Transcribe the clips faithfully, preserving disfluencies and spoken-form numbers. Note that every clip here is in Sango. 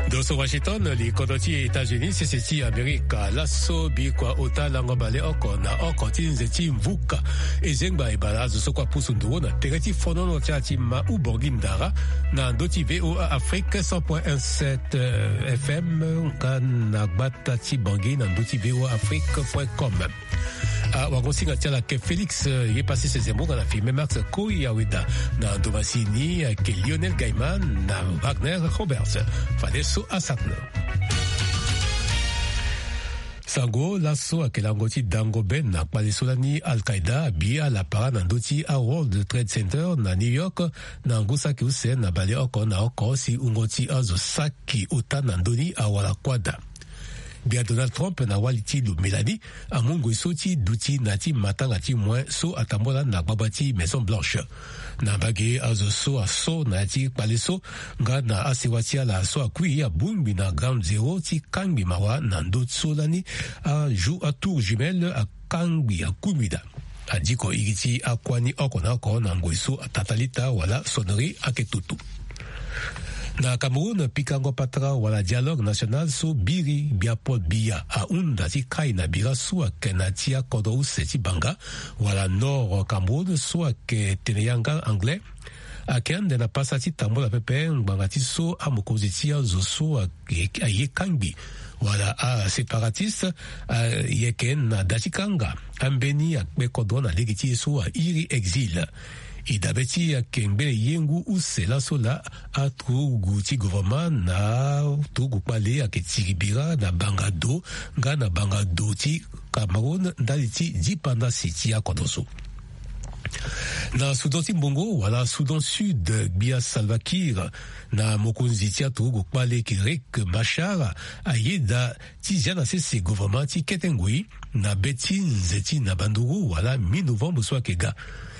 Doso Washington, li kodro ti États-Unis, sese ti Amerika. Laso bikua ota lango baleoko na oko ti nze ti mvuka ezengba ebala azo so kue apusu nduru na tere ti fonono ti ala ti ma ubongi ndara na ndö ti V O A Afrique cent point un sept, euh, F M, nga na gbata ti Bangui na ndö ti V O A Afrique point com. Ah, wagosinga ti ala ayeke Félix, euh, ye pasi sese mbonga na filme Max Koyaweda na Domasini, ayeke Lionel Gaiman na Wagner Roberts. Fadeso asakna. Sango laso ayeke lango ti dango be na kpale so lani Al-Qaeda abi ala para na ndö ti a World Trade Center na New York na ngu saki use na baleoko na oko si wungo ti azo saki ota na ndö ni awara kuâ daa. Gbia Donald Trump na wali ti lo Melanie amu ngoi so ti duti na ya ti matanga ti moin so atambula na gbagba ti Maison Blanche. Na mbage azo so aso na ya ti kpale so nga na asewa ti ala so akui abongbi na Ground Zero ti kangbi mawa na ndö so lani a jou a tour jumelle akangbi akungbi daa. Adiko iri ti akuâ ni oko na oko na ngoi so atata lita wala sonnerie ayeke toto. Na Cameroun, pikango patara wala dialogue national so biri gbia Paul Biya ahunda ti kai na bira so ayeke na ya ti akodro use ti Banga wala Nord Cameroun so ayeke tene yanga anglais. Ayeke ande na pasa ti tambula pepe ngbanga ti so amokonzi ti azo so ayeke aye kangbi wala aséparatiste, ayeke na da ti kanga ambeni akpe kodro na lege ti ye so airi exil. E dabe ti ayeke ngbene ye ngu use laso laa aturugu ti gouvernement na turugu kpale ayeke tiri bira na banga do nga na banga do ti Cameroun ndali ti dipandasi ti akodro so. Na Soudan ti mbongo wala Soudan Sud, gbia Salva Kiir na mokonzi ti aturugu kpale ayeke Riek Machar ayeda ti zia na sese gouvernement ti kete ngoi na be ti nze ti na banduru wala mi-novembre so ayeke ga.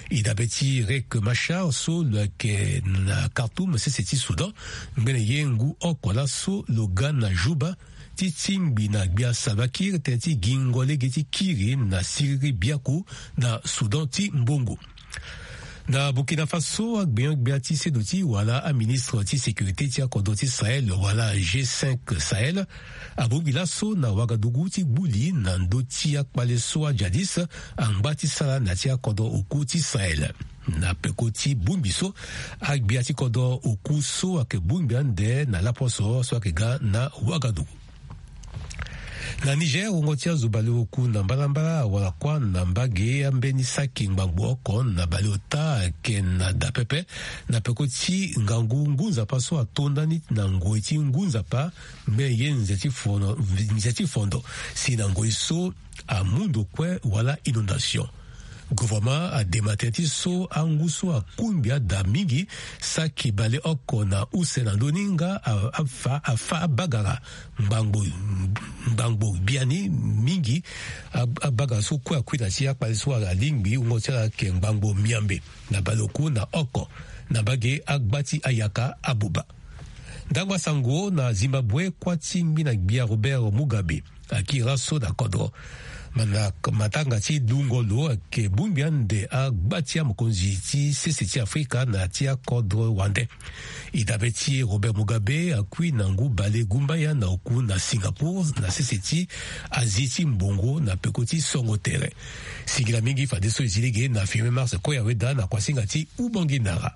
E dabe ti Riek Machar so lo yeke na Khartoum sese ti Soudan, ngbene ye ngu oko laso lo ga na Juba ti tingbi na gbia Salva Kiir tënë ti gingo lege ti kiri na siriri biaku na Soudan ti mbongo. Na Burkina Faso, agbenyo-gbia ti sedo ti wala aministre ti sécurité ti akodro ti Sahel wala G cinq Sahel abongbi laso na Ouagadougou ti gbu li na ndö ti akpale so ajadis angba ti sara na ya ti akodro oku ti Sahel. Na peko ti bongbi so, agbia ti kodro oku so ayeke bongbi ande na laposo so ayeke ga na Ouagadougou. Na Niger, wungo ti azo baleoku na mbalambala awara kuâ na mbage ambeni saki ngbangbo oko na baleota ayeke na da pepe na peko ti ngangu ngu nzapa so ato ndani na ngoi ti ngu nzapa, me ye nze ti fondo, nze ti fondo si na ngoi so amu ndo kue wala inondation. Gouvernement adema tënë ti so angu so akungbi ada mingi, saki baleoko na use na ndö ni nga a- afa afa abagara ngbangbo ngbangbo biani mingi. A- abagara so kue akui na ti akpale so alingbi wungo ti ala ayeke ngbangbo miambe na baleoku na oko na mbage agba ti ayaka abuba. Ndangba sango na Zimbabwe, kuâ ti ngbina gbia Robert Mugabe akiri laso na kodro. Ma na matanga ti lungo lo ayeke bongbi ande agba ti amokonzi ti sese ti Afrika na ti akodro wande. E dabe ti Robert Mugabe akui na ngu bale gumbaya na oku na Singapour na sese ti Asie ti mbongo na peko ti songo tere. Singila mingi fadeso e zi lege na filme Mars Koyaweda na kuasinga ti Ubongi Ndara.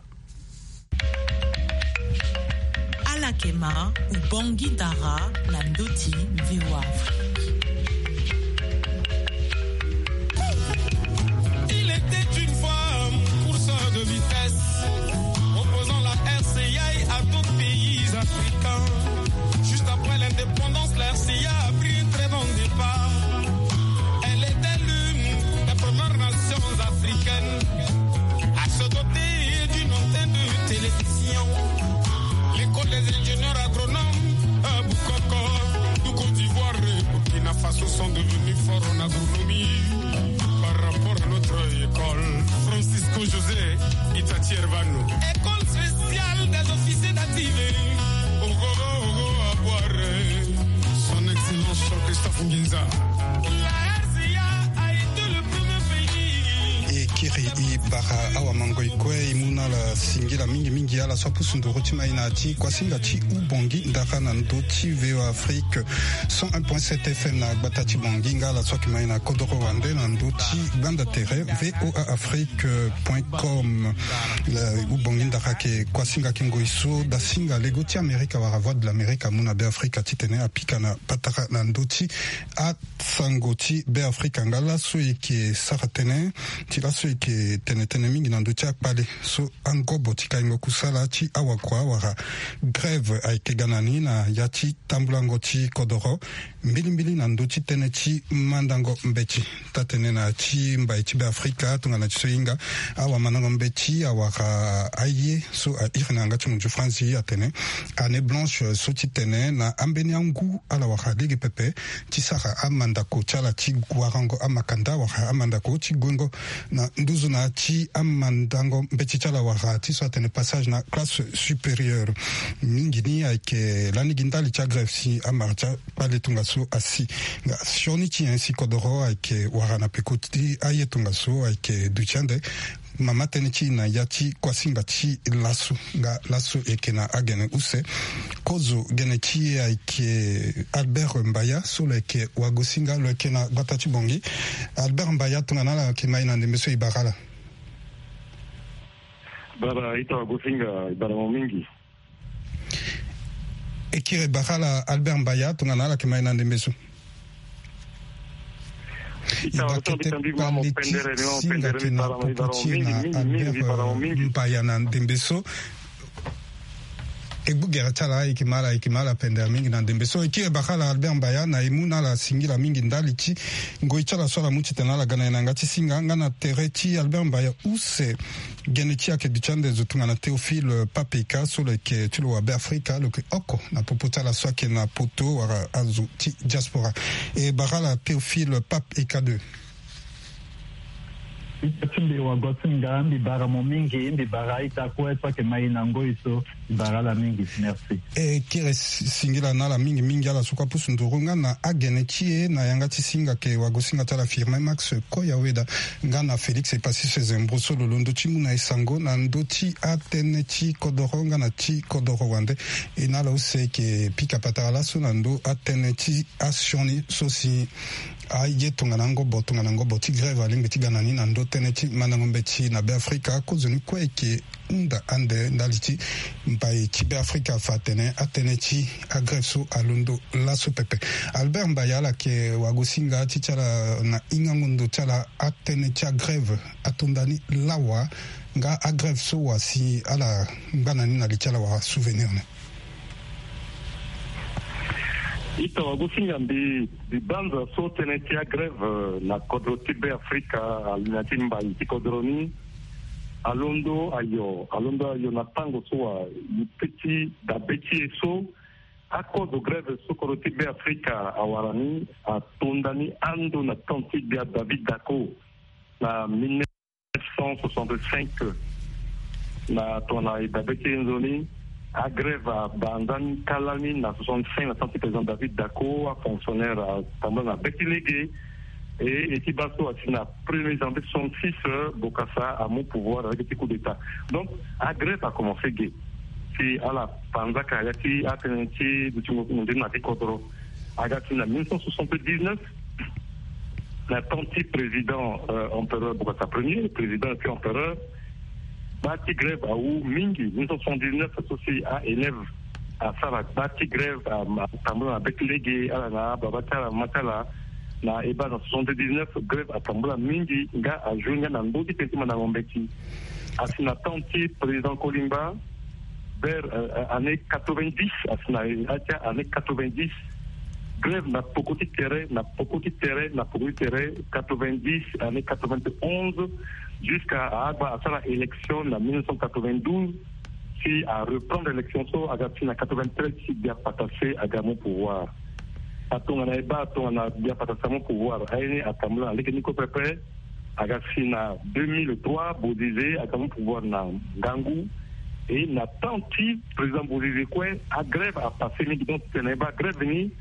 Ala yeke ma Ubongi Ndara na ndö ti V O A Afrique. Il était une fois un courseur de vitesse, opposant la R C I à d'autres pays africains. Juste après l'indépendance, la R C I a pris un très bon départ. Elle était l'une des premières nations africaines à se doter d'une antenne de télévision. L'école des ingénieurs agronomes, euh, Bukoko, du Côte d'Ivoire et Burkina Faso sont devenus forts en agronomie par rapport à notre école. Francisco José Itati Ervano. École spéciale des officiers d'active. Ogo, ogo, Abuare. Son Excellence Christophe Nginza. La R C A a été le premier pays. E kiri e Bara awa mangoi kue e mu na ala singila mingi mingi ala so apusu nduru ti mai na ti kuasinga ti Ubongi ndara na ndö ti V O A Afrique cent un point sept F M na gbata ti Bongi nga ala so ayeke mai na kodoro wande na ndö ti gbanda tere V O A Afrique point com. Ubongi ndara ayeke kuasinga ayeke ngoi so dasinga lego ti Amerika wala Voix de l'Amerique amu na Beafrika titene apika na patara na ndö ti a sango ti Beafrika nga laso e yeke sara tënë ti laso e yeke tene tënë mingi na ndö ti akpale so angobo ti kaingo kusala ti awakua wala grève ayeke ga na ni na ya ti tambulango ti kodoro mbilimbili na ndö ti tënë ti mandango mbeti. Taa-tënë na ya ti mbai ti Beafrika tongana ti so e hinga awamandango mbeti awara aye so a iri na yanga ti munzu Franzi atene année blanche so ti tene na ambeni angu ala wara lege pepe ti sara amandako ti ala ti warango amakanda wala amandako ti guengo na nduzu na ti amandango mbeti ti ala wala ti so atene passage na classe supérieure. Mingi ni ayeke lani gi ndali ti agrève si amara ti akpale tongaso asi. Nga sioni ti nyen si kodoro ayeke wara na peko ti aye tongaso ayeke duti ande mama tënë ti e na ya ti kuasinga ti laso nga laso e yeke na agene use. Kozo gene ti e ayeke Albert Mbaya so lo yeke wagosinga lo yeke na gbata ti Bongi. Albert Mbaya tongana ala yeke mai na ndembe so e bara ala. Bara ita wagosinga e bara mo mingi. E kiri e bara ala Albert Mbaya tongana ala yeke mai na ndembe so. E baa kete kpale ti singa ayeke na poko ti e na Albert Mbaya na ndembe so. E gbu gere ti ala e yeke ma ala e yeke ma ala pendere mingi na ndembe so. E kiri e bara ala Albert Mbaya na e mu na ala singila mingi ndali ti ngoi ti ala so ala mu titene ala ga na e na yanga ti singa nga na tere ti Albert Mbaya use. Gene ti e ayeke duti ande zo tongana Théophile Pape Eka so lo yeke ti lo wa Beafrika lo yeke oko na popo ti ala so ayeke na poto wala azo ti diaspora. E bara ala Théophile Pape Eka deux. Ita ti mbi wagosinga mbi bara mo mingi mbi bara ita kue so ayeke mai na ngoi so. Mbi bara ala mingi merci. E kiri singila na ala mingi mingi ala so kue apusu nduru nga na agene ti e na yanga ti singa ayeke wagosinga ti ala Firmin Max Koyaweda nga na Félix Epassis Zembro so lo londo ti mu na e sango na ndö ti atënë ti kodoro nga na ti kodoro wande. E na ala use e yeke pika patara laso na ndö atënë ti asioni so si aye tongana ngobo tongana ngobo ti grève alingbi ti ga na ni na ndö tënë ti mandango mbeti na Beafrika. Kozoni kue e yeke hunda ande ndali ti mbai ti Beafrika afa atene atënë ti agrève so alondo laso pepe. Albert Mbaya ala yeke wagosinga ti ti ala na hingango ndo ti ala atënë ti agrève atonda ni lawa nga agrève so wa si ala ngba na ni na li ti ala wala souvenir ni. Ita wagosinga mbi mbi banza so tënë ti agrève na kodro ti Beafrika ali na ti mbai ti kodro ni. Alondo ayo alondo ayo na tango so wa li pe ti dabe ti e so akozo grève so kodro ti Beafrika awara ni atonda ni ando na temps ti gbia David Dacko na mille neuf cent soixante-cinq. Na tongana e dabe ti e nzoni agrève abanza ni kâ lani na soixante-cinq na temps ti président David Dacko afonctionnaire atambula na be ti lege. E e ti baa so asi na premier janvier soixante-six Bokassa amu pouvoir avec ti coup d'état. Donc agrève akomense ge si ala panzaka ya ti atënë ti dutingo nzoni na ti kodro. Aga si na mille neuf cent soixante-dix-neuf na temps ti président empereur Bokassa premier président et puis empereur. Baa ti grève awu mingi mille neuf cent soixante-dix-neuf so si a élève asara baa ti grève atambula na be ti lege ala na ababa ti ala mama ti ala. Na e baa na soixante-dix-neuf grève atambula mingi nga ajoue nga na ndö ti tënë ti mandango mbeti. Asi na temps ti président Kolimba vers année quatre-vingt-dix asi na atia année quatre-vingt-dix. Grève na poko ti tere na poko ti tere na poko ti tere quatre-vingt-dix année quatre-vingt-onze jusqu'à agba asara élection na mille neuf cent quatre-vingt-douze. Si areprendre élection so aga si na quatre-vingt-treize si Bia Patase aga mu pouvoir. Atongana e baa tongana Bia Patase amu pouvoir aye ni atambula na lege ni kue pepe. Aga si na deux mille trois Bozizé aga mu pouvoir na ngangu. E na temps ti président Bozizé kue agrève apasse mingi donc titene e baa grève ni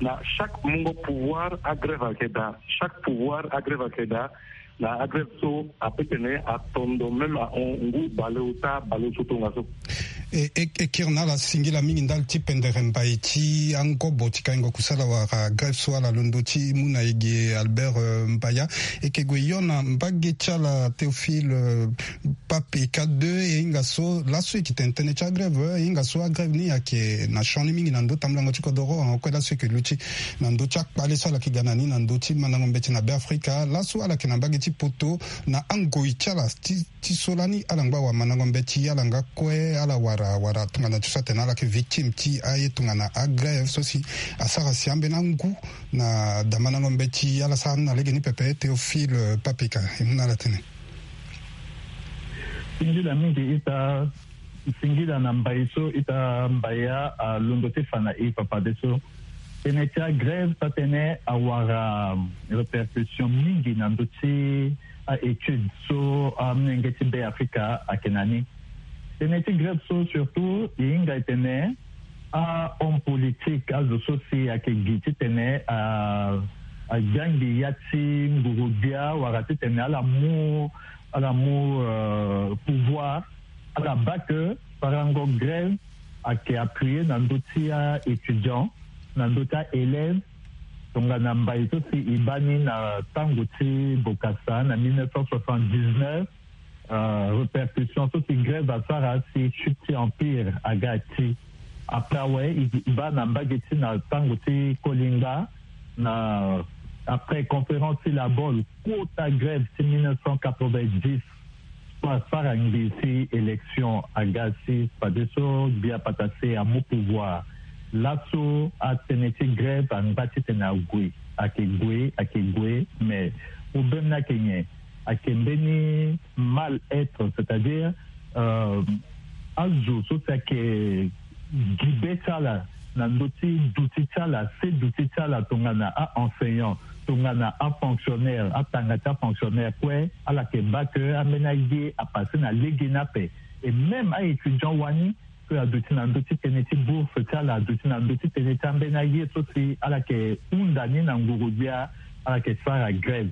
na chaque mungo pouvoir agrève ayeke daa. Chaque pouvoir agrève ayeke daa. Na agrève so ape tene atondo même ahon ngu baleota baleoso tongaso. E kiri na ala singila mingi ndali ti pendere mbai ti angobo ti kaingo kusala wala grève so ala londo ti mu na ege Albert Mbaya. E ke gue yo na mbage ti ala Théophile Pape Eka deux e hinga so laso e ke tene tënë ti agrève e hinga so agrève ni ayeke na sioni mingi na ndö tambulango ti kodoro ango kue laso e ke luti na ndö ti akpale so ala ke ga na ni na ndö ti mandango mbeti na Be Afrika laso ala yeke na mbage ti poto na angoi ti ala ti so lani ala ngba wamandango mbeti ala nga kue ala wara wara tongana ti so atene ala yeke victime ti aye tongana agrève so si asara si ambeni angu na damandango mbeti ala sara ni na legeni pepe Théophile Pape Eka e mu na ala tënë. Singila mingi ita singila na mbai so ita mbaya alondo ti fa na e fafadeso. Tënë ti agrève taa tënë awara répercussion mingi na ndö ti aétude so amolenge ti Be Afrika ayeke na ni. Tënë ti grève so surtout e hinga e tene ahomme politique azo so si ayeke gi titene agiangi ya ti nguru-gbia wala titene ala mu ala mu pouvoir ala baa ke sarango grève ayeke appuyer na ndö ti aétudiant na ndö ti aélève. Tongana mbai so si e baa ni na tango ti Bokassa na mille neuf cent soixante-dix-neuf, répercussion so si grève asara si chute ti empire aga ti après awe e baa na mbage ti na tango ti Kolingba na après conférence ti La Baule kota grève ti mille neuf cent quatre-vingt-dix so asara ngbii si élection aga si fadeso gbia patase amu pouvoir. Laso atënë ti grève angba titene ague ayeke gue ayeke gue mais problème ni ayeke nyen? Ayeke mbeni mal-être c'est-à-dire azo so si ayeke gi be ti ala na ndö ti duti ti ala se duti ti ala tongana a-enseignant tongana afonctionnaire atanga ti afonctionnaire kue ala yeke baa ke ambeni aye apase na legeni ape. Et même aétudiant wani ke aduti na ndö ti tënë ti bourse ti ala aduti na ndö ti tënë ti ambeni aye so si ala yeke hunda ni na nguru-gbia ala yeke sara grève.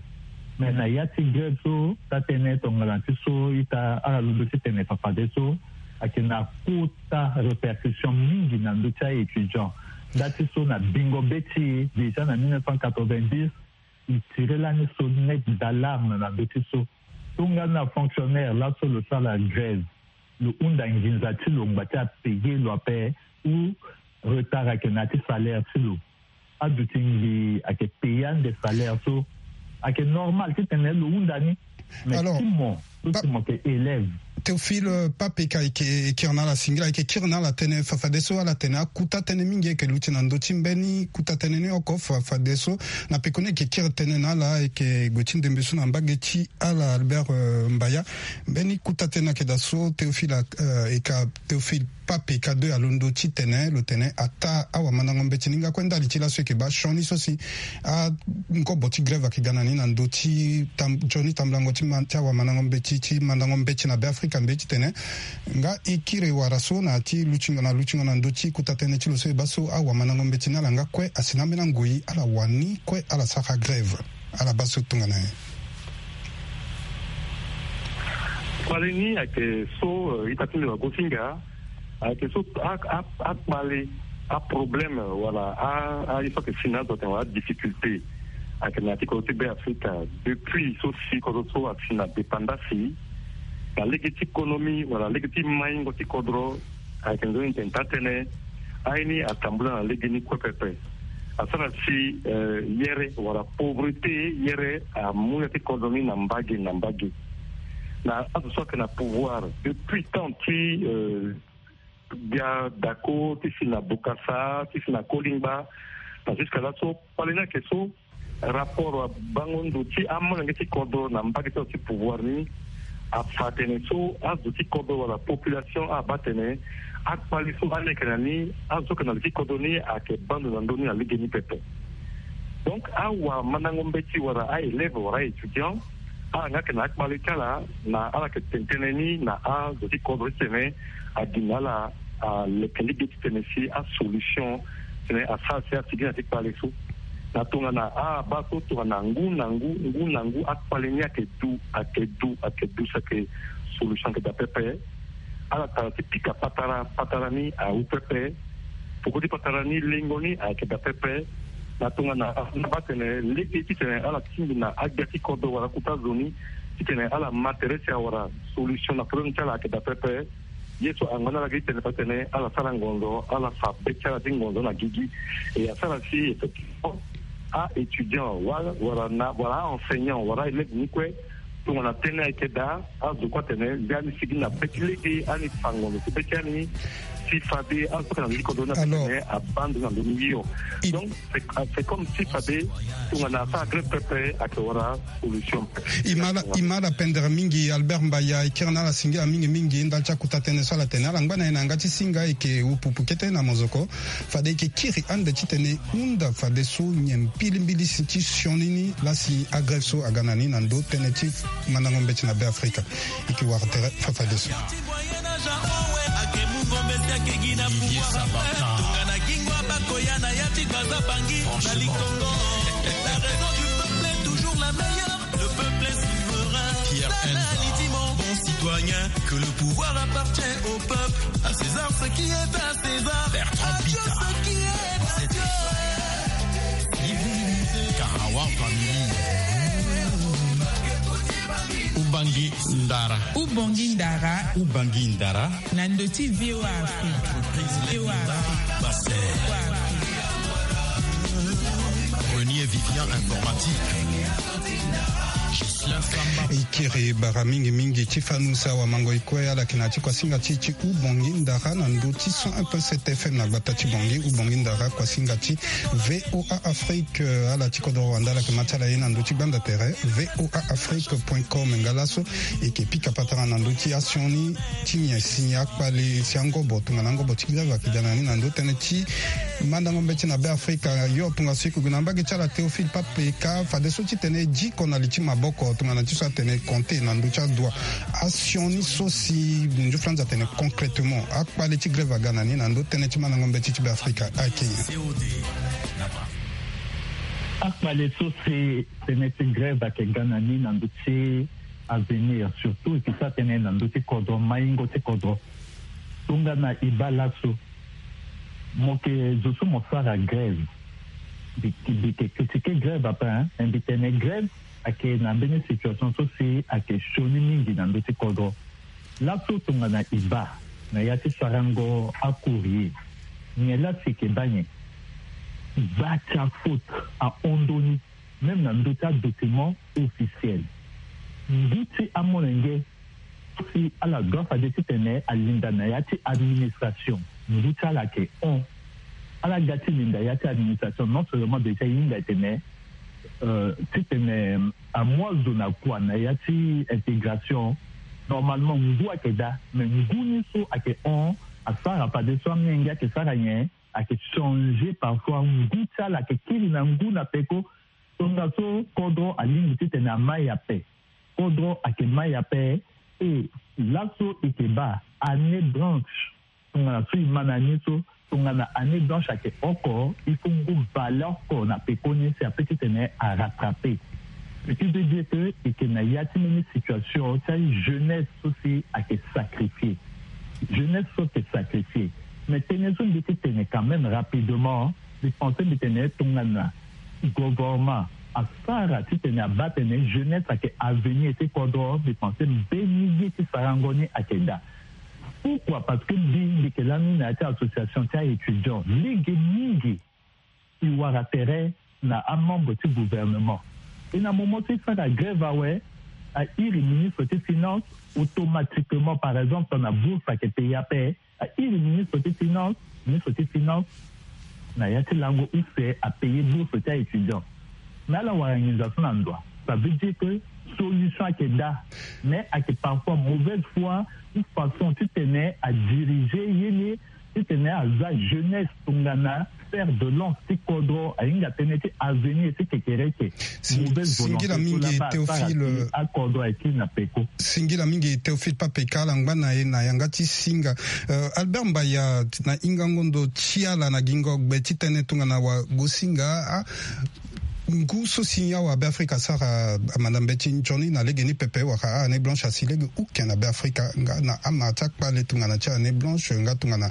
Mais na ya ti grève so taa tënë tongana ti so ita ala londo ti tene fafadeso ayeke na kota répercussion mingi na ndö ti aétudiant. Nda ti so na bingo be ti e déjà na mille neuf cent quatre-vingt-dix e tire lani sonnette d'alarme na ndö ti so. Tongana fonctionnaire laso lo sara grève lo hunda nginza ti lo ngba ti apayer lo ape ou retard ayeke na ya ti salaire ti lo. Aduti ngbii ayeke payer ande salaire so ayeke normal titene lo hunda ni. Mais ti mo so ti mo yeke élève. Théophile Pape Eka e ke kiri na ala singila e ke kiri na ala tënë fafadeso ala tene akuta tënë mingi e ke luti na ndö ti mbeni kuta tënë ni oko fafadeso na pekoni e ke kiri tënë na ala e ke gue ti ndembe so na mbage ti ala Albert Mbaya. Mbeni kuta tënë ayeke daa so Théophile Eka Théophile Pape Eka deux alondo ti tene lo tene ataa awamandango mbeti ni nga kue ndali ti laso e yeke baa sioni so si angobo ti grève ayeke ga na ni na ndö ti nzoni tambulango ti awamandango mbeti ti mandango mbeti na Be Afrika mbi ye ti tene nga e kiri wara so na ya ti lutingo na lutingo na ndö ti kota tënë ti lo so e baa so awamandango mbeti ni ala nga kue asi na ambeni angoi ala wani kue ala sara grève. Ala baa so tongana nyen? Kpale ni ayeke so ita ti nde wagosinga ayeke so akpale aproblème wala aye so ayeke si na azo atene wala adifficulté ayeke na ya ti kodro ti Be Afrika depuis so si kodro so asi na dépendance na lege ti économie wala lege ti maingo ti kodro. Ayeke nzoni tene taa tënë aye ni atambula na lege ni kue pepe. Asara si yere wala pauvreté yere amu ya ti kodro ni na mbage na mbage. Na azo so ayeke na pouvoir depuis temps ti gbia dako ti si na Bokassa ti si na Kolingba na jusqu'à laso kpale ni ayeke so rapport wabango ndo ti amolenge ti kodro na mbage ti azo ti pouvoir ni afa atene so azo ti kodro wala population abaa atene akpale so ani ayeke na ni azo so ayeke na li ti kodro ni ayeke baa ndo na ndö ni na lege ni pepe. Donc awamandango mbeti wala a-élève wala a-étudiant ala nga ayeke na akpale ti ala na ala yeke tene tënë ni na azo ti kodro ti tene agi na ala aleke lege ti tene si asolution tene asara si asigi na ya ti kpale so. Na tongana abaa so tongana ngu na ngu, ngu na ngu akpale ni ayeke du, ayeke du, ayeke du si ayeke solution ayeke daa pepe. Ala tara ti pika patara, patara ni awu pepe. Peko ti patara ni lengo ni ayeke daa pepe. Na tongana abaa tene lege titene ala tingbi na agbia ti kodro wala kota zo ni titene ala ma tere si awara solution na problème ti ala ayeke daa pepe. Ye so angba ni ala gi tene fa tene ala sara ngonzo, ala fa be ti ala ti ngonzo na gigi. E asara si effectivement a-étudiant wala, wala na, wala a-enseignant wala élève ni kue, tongana tënë ayeke daa, azo kue atene nde ani sigi na be ti lege, ani fa ngonzo ti be ti ani ti fade azo so ayeke na ndö ti kodro ni. Alors, atene abaa ndo na ndö ni hio. Donc c'est, c'est comme si fade tongana asara grève pepe ayeke wara solution. E ma ala, e ma ala pendere mingi. Albert Mbaya, e kiri na ala singila mingi mingi ndali ti akota tënë so ala tene. Ala ngba na e na yanga ti singa, e yeke upupu kete na mozoko. Fade e yeke kiri ande titene e hunda fadeso nyen mbilimbili si ti sioni ni laa si agrève so aga na ni na ndö tënë ti mandango mbeti na Beafrika. E yeke wara tere fafadeso. Olivier Sabata. Franchement. Le peuple est souverain. Pierre Elsa. Bon citoyen, que le pouvoir appartient au peuple. À César ce qui est à César. Bertrand Bita. À Dieu ce qui est à Dieu. Karawa famille. Ubangi Ndara. Ubongi Ndara. Ubangi Ndara. Na ndö ti V O A Afrique. V O A Afrique. Renier Vivian informatique. E kiri bara mingi mingi ti fanu si awamango e kue ala yeke na ya ti kuasinga ti e ti Ubongi Ndara na ndö ti cent un point sept F M na gbata ti Bangui. Ubongi Ndara, kuasinga ti V O A Afrique. Ala ti kodro wande ala yeke ma ti ala ye na ndö ti gbanda tere V O A Afrique point com. Nga laso e yeke pika patara na ndö ti asioni ti nyen si akpale si angobo tongana angobo ti grève ayeke ga na ni na ndö tënë ti mandango mbeti na Beafrika. Yo tongaso e yeke gue na mbage ti ala Théophile Pape Ka, fadeso titene e diko na li ti maboko tongana ti so atene compter na ndö ti adua. Asioni so si nzuflanzi atene concrètement akpale ti grève aga na ni na ndö tënë ti mandango mbeti ti Beafrika ayeke nyen? Akpale so si tënë ti grève ayeke ga na ni na ndö ti avenir, surtout e yeke sara tënë na ndö ti kodro, maingo ti kodro. Tongana e baa laso, mo yeke zo so mo sara grève. Mbi, mbi yeke critiquer grève ape, hein, mais mbi tene grève ayeke na mbeni situation so si ayeke sioni mingi na ndö ti kodro. Laso tongana e baa na ya ti sarango acourrier, nyen laa si e yeke baa nyen? Gba ti afaute ahon ndoni, même na ndö ti adocument officiel. Ngu ti amolenge so si ala doit fade titene alinda na ya ti administration, ngu ti ala ayeke hon. Ala ga ti linda ya ti administration, non seulement déjà e hinga e tene, euh, titene amu azo na kua na ya ti intégration, normalement ngu ayeke daa, mais ngu ni so ayeke hon, asara fadeso amolenge ayeke sara nyen? Ayeke changer parfois, ngu ti ala ayeke kiri na ngu na peko. Tongaso kodro alingbi titene amai ape. Kodro ayeke mai ape. E laso e yeke baa année blanche, tongana so e ma na ni so, tongana année blanche ayeke oko, il faut ngu valeur oko na pekoni si ape titene arattraper. Ce qui veut dire que e yeke na ya ti mbeni situation ti ajeunesse so si ayeke sacrifier. Jeunesse so ayeke sacrifier. Mais tënë so mbi ti tene quand même rapidement, mbi pense mbi tene tongana gouvernement asara titene abaa tene jeunesse ayeke avenir ti kodro, mbi pense mbeni ye ti sarango ni ayeke daa. Pourquoi? Parce que mbi, mbi yeke lani na ya ti association ti a-étudiant lege mingi. E wara tere na amembre ti gouvernement. E na moment ti e sara grève awe, a iri ministre ti finance, automatiquement, par exemple, na bourse ayeke paye ape, a iri ministre ti finance, ministre ti finance na ya ti lango use apaye bourse ti a-étudiant. Mais ala wara nginza so na ndo wa. Ça veut dire que solution ayeke daa, mais ayeke parfois mauvaise foi ou façon titene adirige ye ni, titene aza jeunesse tongana fer de lance ti kodro, ahinga tënë ti avenir ti kekereke. Mauvaise volonté. Singila mingi Théophile. Akodro ayeke na peko. Singila mingi Théophile Pape Ka, ala ngba na e na yanga ti singa. Euh, Albert Mbaya, na hingango ndo ti ala na gingo gbe ti tënë tongana wagosinga, ah, Ngu so si awa Beafrika asara amanda mbeti nzoni na legeni pepe wala a-année blanche asi lege uke na Beafrika nga na ama ti akpale tongana ti a-année blanche nga tongana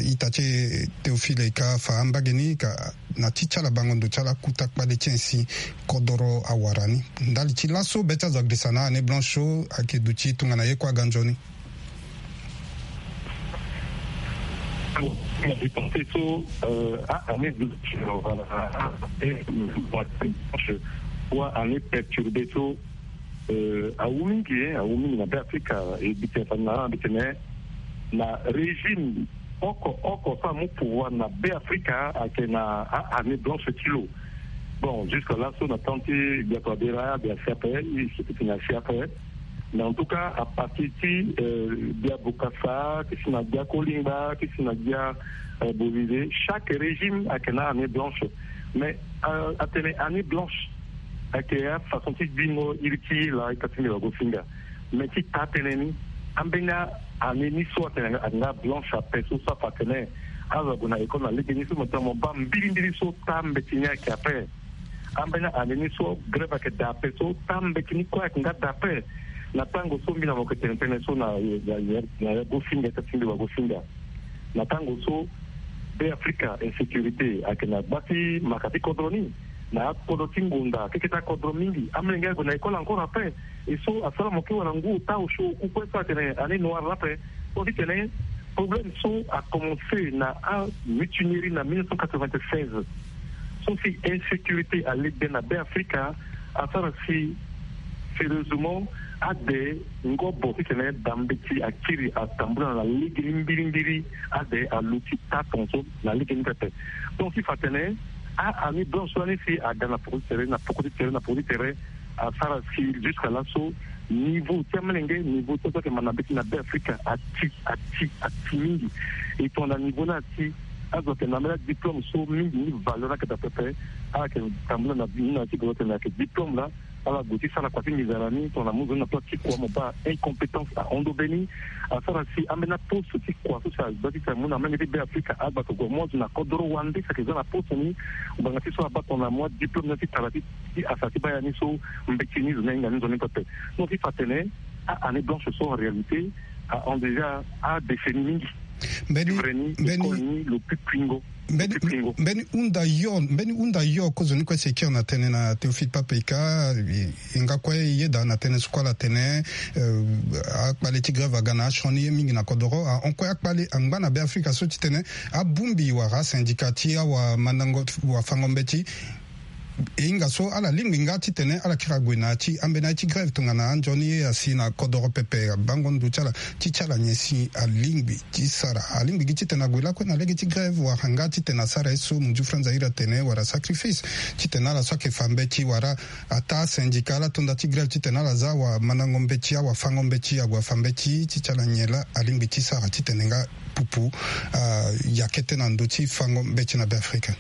ita ti e Théophile e ka fa ambage ni ka na ti ti ala bango ndo ti ala kuta kpale ti en si kodoro awara ni. Ndali ti laso be ti azo agirisa na a-année blanche so ayeke duti tongana ye kue aga nzoni. Dépenser so, euh, a-année blanche, euh, voilà, a-année perturbée so, euh, awu mingi, hein, awu mingi na Beafrika, e bite fa na bite na régime oko oko so amu pouvoir na Beafrika ayeke na a-année blanche ti lo. Bon, jusque là so na temps ti Gbia Touadéra, Gbia si ape, e si ape. Mais en tout cas, à partir ti, euh, Gbia Bokassa, ti si na Gbia Kolingba, ti si na Gbia, euh, Bolide, chaque régime ayeke na année blanche. Mais, euh, atene année blanche ayeke afaçon ti gbingo iri ti la ita ti mbi wago finga. Mais ti taa tënë ni, ambeni a-année ni so atene ayeke nga blanche ape so so afa atene azo ague na école na legeni so mo tene mo baa mbirimbiri so taa mbeti ni ayeke ape. Ambeni a-année ni so grève ayeke daa ape so taa mbeti ni kue ayeke nga daa ape. Na tango so mbi na mo yeke tene tënë so na, na, na ya go finga, ita ti mbi wago finga. Na tango so Beafrika insécurité ayeke na gba ti maka ti kodro ni, na akodro ti ngonda keke ti akodro mingi, amolenge ague na école encore ape. E so asara mo kue wala ngu ota osio oku kue so atene année noire ape. So ti tene problème so akomense na amutinerie na mille neuf cent quatre-vingt-seize. So si insécurité alekbe na Beafrika, asara si sérieusement ade ngobo ti tene da mbeti akiri atambula na legeni mbirimbiri, ade aluti taa tongaso na legeni pepe. Donc ti fa tene a-année blanche so lani si aga na poko ti tere, na poko ti tere, na poko ti tere, asara si jusqu'à laso niveau ti amolenge, niveau ti azo ayeke ma na mbeti na Beafrika ati, ati, ati mingi. E tongana niveau ni ati, azo ayeke na ambeni adiplôme so mingi ni valeur ni ayeke daa pepe. Ala yeke tambula na ni na ti goro tene ayeke diplôme laa. Ala gue ti sara kua ti nginza na ni tongana mo zo ni na place ti kua mo baa incompétence ahon ndo be ni. Asara si ambeni aposte ti kua so si agba ti tene amu na amolenge ti Beafrika agba ke gue mo azo na kodoro wande si ayeke za na poste ni. Ngbanga ti so abaa tongana mo adiplôme ni ti tara ti ti asa ti baa ya ni so mbeti ni zo ni ahinga ni nzoni pepe. Donc ti fa tene a-année blanche so en réalité ahon déjà adécennie mingi. Mbeni, mbeni, école ni lo pi kuingo. Mbeni, mbeni hunda yo, mbeni hunda yo kozoni kue si e kiri na tënë na Théophile Pape-Ika, e, e nga kue e yeda na tënë so kue ala tene, eh, akpale ti grève aga na asioni ye mingi na kodoro, ahon kue akpale angba na Beafrika so ti tene abongbi wala asyndicat ti awamandango wafango mbeti. E hinga so ala lingbi nga titene ala kiri ague na ya ti ambeni aye ti grève tongana anzoni ye asi na kodoro pepe, abango ndo ti ala ti ti ala nyen si alingbi ti sara. Alingbi gi titene ague lakue na lege ti grève wala nga titene asara ye so Munju Franz Zaïre atene wala sacrifice titene ala so ayeke fa mbeti wala ataa syndicat ala to nda ti grève titene ala za wamandango mbeti, awafango mbeti ague afa mbeti ti ti ala nyen laa alingbi ti sara titene nga pupu, ah, ya kete na ndö ti fango mbeti na Beafrika.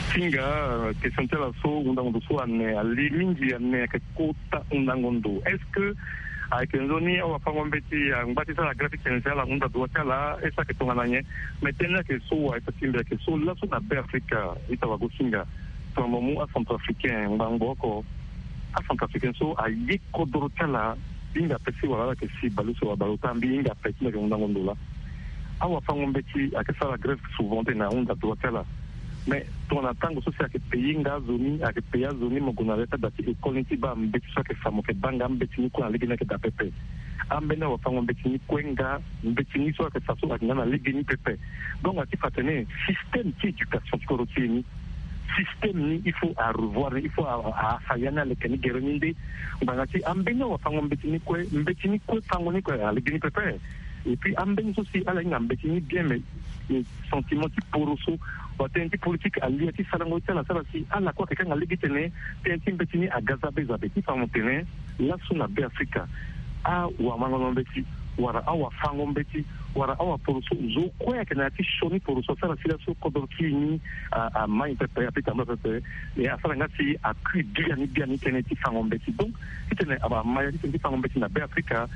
Ti hinga, question ti ala so, hundango ndo so ane, ali mingi ane, ayeke kota hundango ndo. Est-ce que ayeke nzoni awafango mbeti angba ti sara grève ti tene si ala hunda droit ti ala, est-ce que ayeke tongana nyen? Mais tënë ni ayeke so wa, ita ti mbi ayeke so laso na Beafrika, ita wago si nga. Tongana mo mu acentrafricain ngbangbo oko, acentrafricain so aye kodoro ti ala, hinga ape si wala ala yeke si baleuse wala baleota, mbi hinga ape ti mbi ayeke hundango ndo laa. Awafango mbeti ayeke sara grève souvent tene ahunda droit ti ala. Mais tongana tango so si ayeke payer nga azo ni, ayeke payer azo ni, mo gue na ya ti ada ti école ni ti baa mbeti so ayeke fa, mo yeke baa nga mbeti ni kue na lege ni ayeke daa pepe. Ambeni awafango mbeti ni kue nga mbeti ni so ayeke fa so ayeke nga na lege ni pepe. Donc ati fa atene système ti éducation ti kodro ti e ni, système ni il faut a revoir ni, il faut a, a, a fa ya ni aleke ni gere ni nde. Ngbanga ti ambeni awafango mbeti ni kue, mbeti ni kue fango ni kue alege ni pepe. Et puis ambeni so si ala hinga mbeti ni bien, mais, eh, sentiment ti poroso, watënë ti politique alia ti sarango ti ala sara si ala kue ayeke kanga lege titene tënë ti mbeti ni aga za be za be. Ti fa mo tene laso na Beafrika, awamandango mbeti wala awafango mbeti wala awaporoso, zo kue ayeke na ya ti sioni poroso asara si laso kodro ti e ni a, amai pepe, ape tambula pepe. E asara nga si akui biani biani tënë ti fango mbeti. Donc titene amai ya ti tënë ti fango mbeti na Beafrika,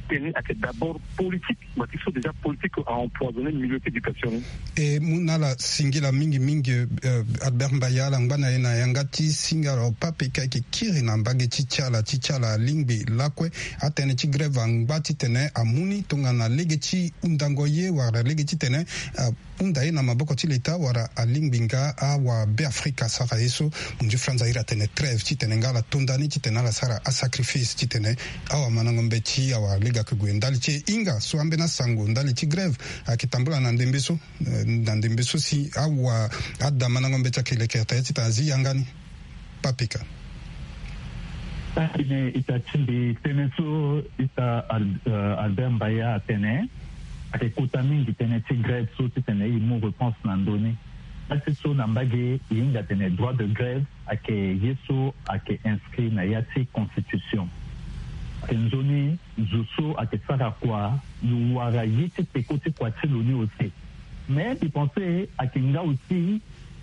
Tene ake d'abord politique, mais il faut déjà politique à empoisonner milieu ti éducation. E mu na ala singila mingi mingi, euh, Albert Mbaya, ala ngba na e na yanga ti singa lo pape ka eke kiri na mbage ti ti ala ti ti ala alingbi lakue. Atënë ti grève angba titene amu ni tongana lege ti hundango ye wala lege titene, euh, hunda ye na maboko ti leta wala alingbi nga awabeafrika asara ye so. Munzu Franz ahiri atene trêve titene nga ala to nda ni titene ala sara asacrifice titene awamandango mbeti awalege ake gue ndali ti e. Hinga so ambeni asango ndali ti grève ake tambula na ndembe so, eh, na ndembe so si awa adamandango mbeti ake leke ata ye titene azi yanga ni. Papika. Atene ita ti mbi tënë so ita Al-, euh, Albert Mbaya atene ake kota mingi tënë ti grève so titene e mu réponse na ndö ni. Laa ti so na mbage e hinga atene droit de grève ake ye so ake inscrit na ya ti constitution. Ake nzoni zo so ake sara kua lo wara ye ti peko ti kua ti lo ni aussi. Mais mbi pense ake nga aussi,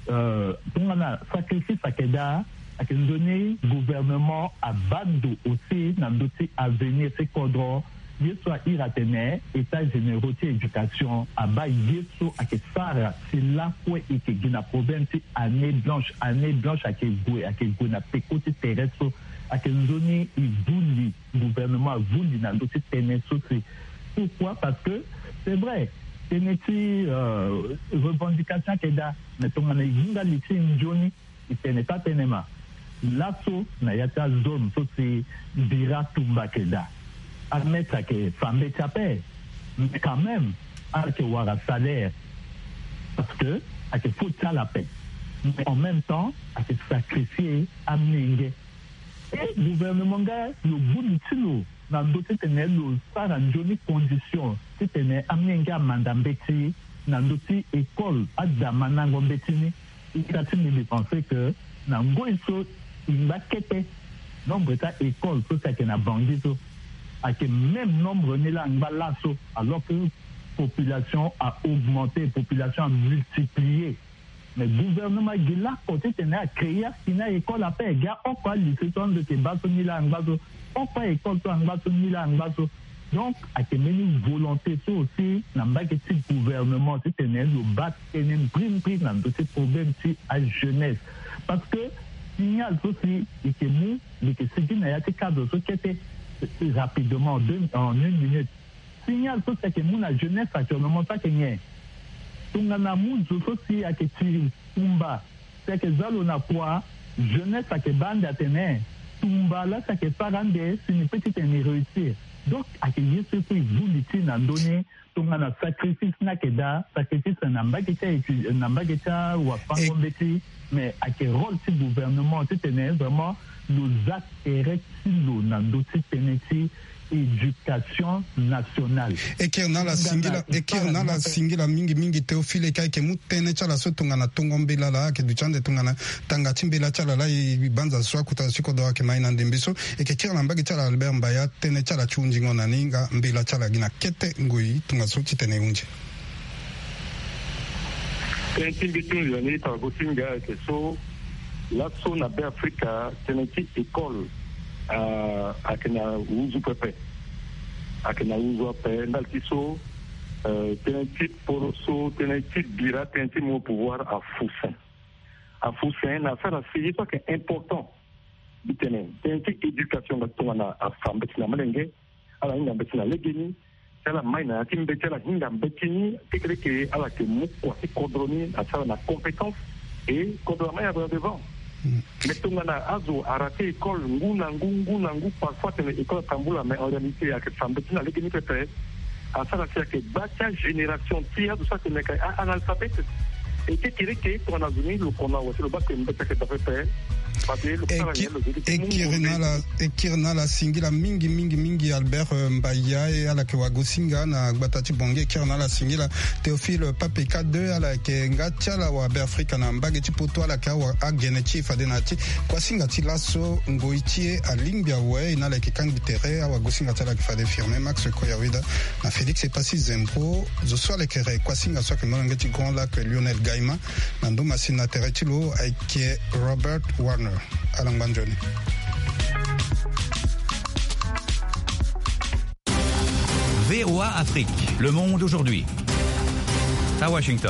euh, tongana sacrifice ake daa, ake nzoni gouvernement abaa ndo aussi na ndö ti avenir ti kodro. Ye so ahiri atene état généraux ti éducation abaa ye so ake sara si lakue e ke gi na problème ti année blanche. Année blanche ake gue, ake gue na peko ti tere so. Ake nzoni e vuli, gouvernement avuli na ndö ti tënë so si. Pourquoi? Parce que c'est vrai, tënë ti, euh, revendication ake daa, mais tongana e hinga li ti e nzoni, e tene taa tënë ma. Laso na ya ti azone so si bira tumba ake daa, amaître ake fa mbeti ape, mais quand même ala yeke wara salaire, parce que ayeke faute ti ala ape. Mais en même temps ayeke sacrifier amenge. E gouvernement nga lo boni ti lo na ndö titene lo sara nzoni condition titene amenge amanda mbeti na ndö ti école, adamandango mbeti ni. Ita ti mbi, mbi pense que na ngoi so e ngba kete, nombre ti a-école so si ayeke na Bangui so ayeke même nombre ni laa angba laso, alors que population a augmenté, population a multiplié. Mais gouvernement gi lako titene a créer asi ni a-école ape, gi aoko alycée so ando yeke baa so ni laa angba so, oko a-école so angba so ni laa angba so. Donc ayeke mbeni volonté so aussi na mbage ti gouvernement titene lo baa tënë mbrimbri na ndö ti problème ti ajeunesse. Parce que signal so si e yeke mu, e yeke sigi na ya ti cadre so kete, rapidement, en deux, en une minute. Signal so si ayeke mu na jeunesse actuellement so ayeke nyen? Tongana amu zo so si ayeke tiri tumba, si ayeke za lo na kua, jeunesse ayeke baa ande atene tumba laa si ayeke sara ande si ni peut titene ni réussir. Donc ayeke ye so e kue e vuli ti na ndö ni. Tongana sacrifice ni ayeke daa, sacrifice na mbage ti a étu-, na mbage ti awafango mbeti, mais ayeke rôle ti gouvernement titene vraiment lo za tere ti lo na ndö ti tënë ti éducation nationale. E kiri na ala singila, e kiri na ala singila mingi mingi Théophile, e ka e yeke mu tënë ti ala so tongana tongo mbela laa ayeke duti ande tongana tanga ti mbela ti ala laa e banza so akota zo ti kodro ayeke ma e na ndembe so. E yeke kiri na mbage ti ala Albert Mbaya, tënë ti ala ti hundingo na ni nga mbela ti ala gi na kete ngoi tongaso titene e hunzi. Tënë ti mbi ti hunzi na ni tara gosinga ayeke so, laso na Beafrika tënë ti école, ah, ayeke na huzu pepe. Ayeke na huzu ape ndali ti so, eh, tënë ti poro so, tënë ti bira, tënë ti mu pouvoir afu sen. Afu sen na asara si ye so ayeke important. Mbi tene tënë ti éducation nga tongana afa mbeti na molenge, ala hinga mbeti na legeni, si ala mai na ya ti mbeti, ala hinga mbeti ni, kekereke ala yeke mu kua ti kodro ni asara na compétence, et kodro amai ague na devant. Mais tongana azo arate école ngu na ngu, ngu na ngu, parfois atene école atambula, mais en réalité ayeke fa mbeti na legeni pepe. Asara si ayeke gba ti agénération ti azo so atene ayeke analphabète. E kekereke tongana zo ni lo kona wa si lo baa ke mbeti ayeke daa pepe. Fade lo sara nyen lo zo ti mu. E kiri na ala, e kiri na ala singila mingi mingi mingi Albert, euh, Mbaya, e ala yeke wagosinga na gbata ti Bangui. E kiri na ala singila Théophile Papeka deux, ala yeke nga ti ala wa Beafrika na mbage ti poto, ala yeke awa agene ti e fade na ya ti kuasinga ti laso ngoi ti e alingbi awe. E na ala yeke kangbi tere, awagosinga ti ala yeke fade Firmin Max Koyaweda na Félix Epassi Zembro. Zo so ala yeke re kuasinga so ayeke molenge ti Grand Lac, Lionel Gaima. Na ndo masini na tere ti lo ayeke Robert Warner. Ala ngba nzoni. V O A Afrique, le monde aujourd'hui. À Washington.